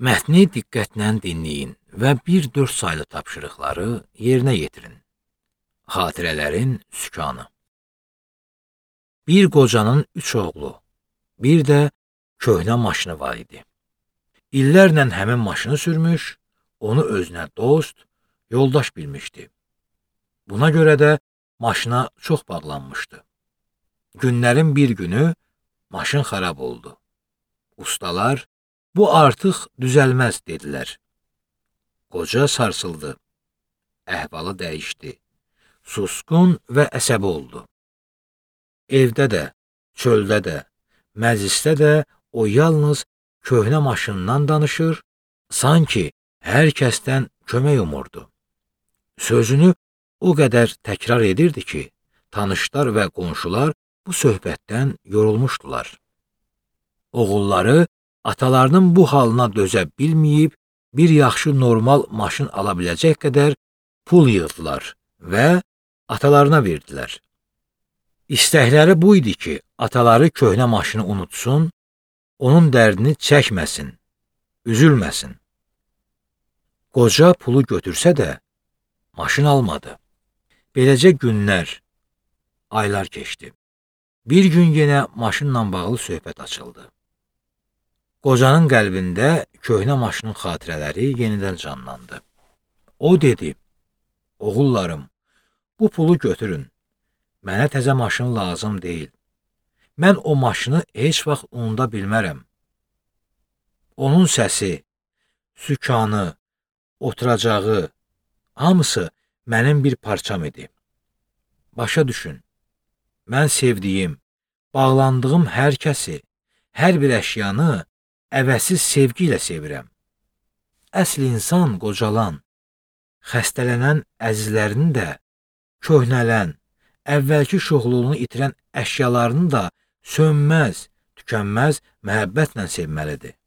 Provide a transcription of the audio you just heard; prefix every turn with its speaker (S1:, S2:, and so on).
S1: Mətni diqqətlə dinləyin və 1-4 saylı tapşırıqları yerinə yetirin. Xatirələrin sükanı. Bir qocanın 3 oğlu, bir də köhnə maşını var idi. İllərlə həmin maşını sürmüş, onu özünə dost, yoldaş bilmişdi. Buna görə də maşına çox bağlanmışdı. Günlərin bir günü maşın xarab oldu. Ustalar, bu artıq düzəlməz dedilər. Qoca sarsıldı. Əhvalı dəyişdi. Susqun və əsəbi oldu. Evdə də, çöldə də, məclisdə də o yalnız köhnə maşından danışır, sanki hər kəsdən kömək umurdu. Sözünü o qədər təkrar edirdi ki, tanışlar və qonşular bu söhbətdən yorulmuşdular. Oğulları atalarının bu halına dözə bilməyib, bir yaxşı normal maşın ala biləcək qədər pul yığdılar və atalarına verdilər. İstəkləri bu idi ki, ataları köhnə maşını unutsun, onun dərdini çəkməsin, üzülməsin. Qoca pulu götürsə də, maşın almadı. Beləcə günlər, aylar keçdi. Bir gün yenə maşınla bağlı söhbət açıldı. Qocanın qəlbində köhnə maşının xatirələri yenidən canlandı. O dedi, oğullarım, bu pulu götürün, mənə təzə maşın lazım deyil. Mən o maşını heç vaxt unuda bilmərəm. Onun səsi, sükanı, oturacağı, hamısı mənim bir parçam idi. Başa düşün, mən sevdiyim, bağlandığım hər kəsi, hər bir əşyanı əvəzsiz sevgi ilə sevirəm. Əsl insan qocalan, xəstələnən əzizlərini də, köhnələn, əvvəlki şoxluğunu itirən əşyalarını da sönməz, tükənməz məhəbbətlə sevməlidir.